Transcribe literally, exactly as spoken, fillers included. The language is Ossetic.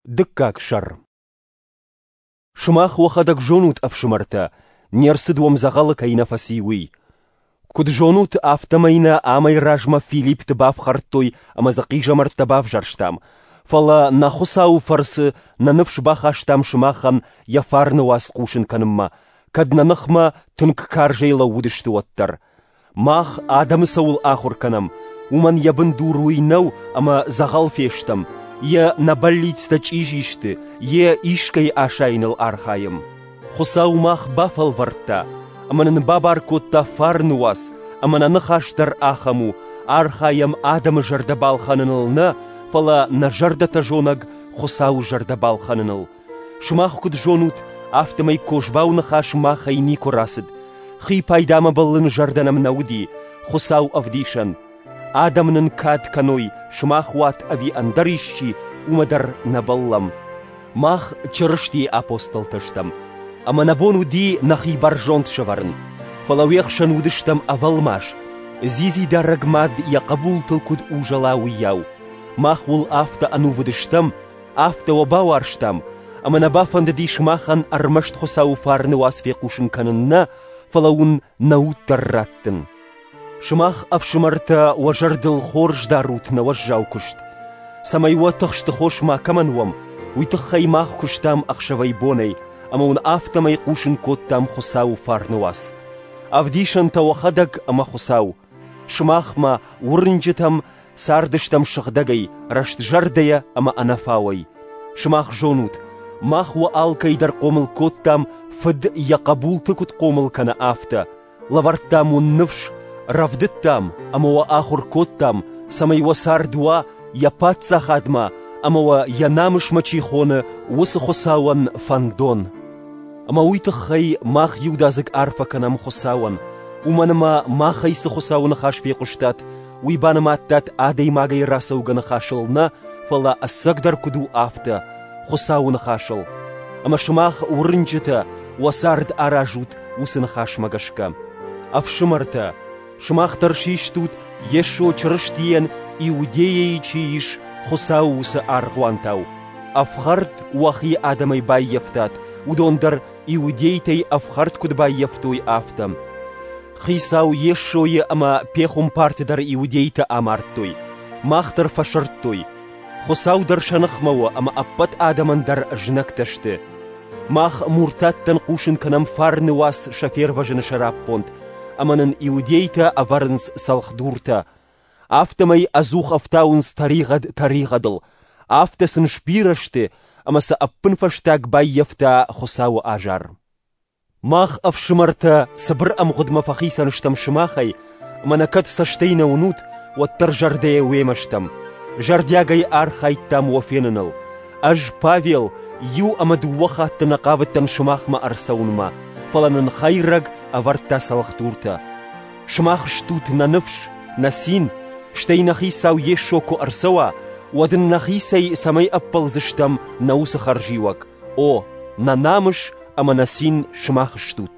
Дыккаг сӕр. Сымах уӕхӕдӕг зонут, ӕфсымӕртӕ, не рцыд уӕм дзӕгъӕлы кӕй нӕ фӕци, уый. Куыд зонут, афтӕмӕй нӕ амӕй размӕ Филиппты бафхӕрдтой ӕмӕ дзы хъизӕмӕрттӕ бавзӕрстам, фӕлӕ нӕ Хуыцауы фӕрцы нӕ ныфс бахастам сымахӕн йӕ фарны уац хъусын кӕнынмӕ, кӕд нӕ ныхмӕ тынг карзӕй лӕууыдысты, уӕддӕр. Мах адӕмы цӕуыл ахуыр кӕнӕм, уымӕн йӕ бындур уый нӕу, ӕмӕ дзӕгъӕл фестӕм, йе нӕ бӕллицтӕ чъизи сты, йе искӕй асайыныл архайӕм. Хуыцау мах бафӕлвӕрдта ӕмӕ нын бабар кодта фарны уац, ӕмӕ нӕ ныхас дӕр ахӕм у: архайӕм адӕмы зӕрдӕ балхӕныныл нӕ, фӕлӕ нӕ зӕрдӕтӕ зонӕг Хуыцауы зӕрдӕ балхӕныныл. Сымах куыд зонут, афтӕмӕй козбау ныхас махӕй никуы рацыд. Хи пайдамӕ бӕллын зӕрдӕ нӕм нӕ уыди, Хуыцау ӕвдисӕн. Адӕм нын кад кӕной, сымах уат ӕви ӕндӕр исчи, уымӕ дӕр нӕ бӕллӕм. Мах Чырыстийы апостолтӕ стӕм, ӕмӕ нӕ бон уыди нӕхи бӕрзонд сӕвӕрын, фӕлӕ уе хсӕн уыдыстӕм ӕвӕлмас, дзидзидарӕг мад йӕ хъӕбултыл куыд узӕла, уыйау. Мах уыл афтӕ ӕнувыд стӕм, афтӕ уӕ бауарзтам, ӕмӕ нӕ бафӕндыди сымахӕн ӕрмӕст Хуыцауы фарны уац фехъусын кӕнын нӕ, фӕлӕ уын нӕ уд дӕр раттын. Сымах, ӕфсымӕртӕ, уӕ зӕрдыл хорз дарут нӕ уӕззау куыст. Цӕмӕй уӕ тыхсты хос макӕмӕн уӕм, уый тыххӕй мах куыстам ӕхсӕвӕй-бонӕй, ӕмӕ уын афтӕмӕй хъусын кодтам Хуыцауы фарны уац. Ӕвдисӕнтӕ уӕхӕдӕг ӕмӕ Хуыцау. Сымахмӕ, уырнджытӕм, цардыстӕм сыгъдӕгӕй, рӕстзӕрдӕйӕ ӕмӕ ӕнӕфауӕй. Сымах зонут, мах уӕ алкӕй дӕр хъомыл кодтам, фыд йӕ хъӕбулты куыд хъомыл кӕны, афтӕ. Лӕвӕрдтам уын ныфс, рӕвдыдтам ӕмӕ уӕ ахуыр кодтам, цӕмӕй уӕ цард уа йӕ паддзахадмӕ ӕмӕ уӕ йӕ намысмӕ чи хоны, уыцы Хуыцауӕн фӕндон. Ӕмӕ уый тыххӕй мах иудадзыг арфӕ кӕнӕм Хуыцауӕн, уымӕн ӕмӕ махӕй цы Хуыцауы ныхас фехъуыстат, уый банымадтат адӕймагӕй рацӕугӕ ныхасыл нӕ, фӕлӕ ӕцӕгдӕр куыд у, афтӕ, Хуыцауы ныхасыл. Ӕмӕ сымах, уырнджытӕ, уӕ цард аразут уыцы ныхасмӕ гӕсгӕ. Ӕфсымӕртӕ, сымах дӕр систут, Йесо Чырыстийӕн Иудейӕйы чи ис, Хуыцауы уыцы аргъуантау. Ӕфхӕрд уӕхи адӕмӕй баййӕфтат, уыдон дӕр иудейтӕй ӕфхӕрд куыд баййӕфтой, афтӕ. Хицау Йесойы ӕмӕ пехуымпарты дӕр иудейтӕ амардтой, мах дӕр фӕсырдтой. Хуыцау дӕр сӕ ныхмӕ у ӕмӕ ӕппӕт адӕмӕн дӕр знӕгтӕ сты. Мах муртаттӕн хъусын кӕнӕм фарны уац сӕ фервӕзыны сӕраппонд, ӕмӕ нын иудейтӕ ӕвӕрынц цӕлхдуртӕ. Афтӕмӕй ӕдзух ӕфтауынц тӕригъӕд тӕригъӕдыл, афтӕ сын сбирӕ сты, ӕмӕ сӕ ӕппынфӕстаг баййӕфта Хуыцауы азар. Мах, ӕфсымӕртӕ, цыбыр ӕмгъуыдмӕ фӕхицӕн стӕм сымахӕй, ӕмӕ нӕ кӕд цӕстӕй нӕ уынут, уӕддӕр зӕрдӕйӕ уемӕ стӕм. Зӕрдиагӕй архайдтам уӕ феныныл. Ӕз, Павел, иу ӕмӕ дыууӕ хатты нӕ хъавыдтӕн сымахмӕ ӕрцӕуынмӕ, фӕлӕ нын хӕйрӕг ӕвӕрдта цӕлхдуртӕ. Сымах стут нӕ ныфс, нӕ цин, стӕй нӕ Хицау Йесо куы ӕрцӕуа, уӕд ын нӕхицӕй цӕмӕй ӕппӕлдзыстӕм нӕ уыцы хӕрзиуӕг. О, нӕ намыс ӕмӕ нӕ цин сымах стут.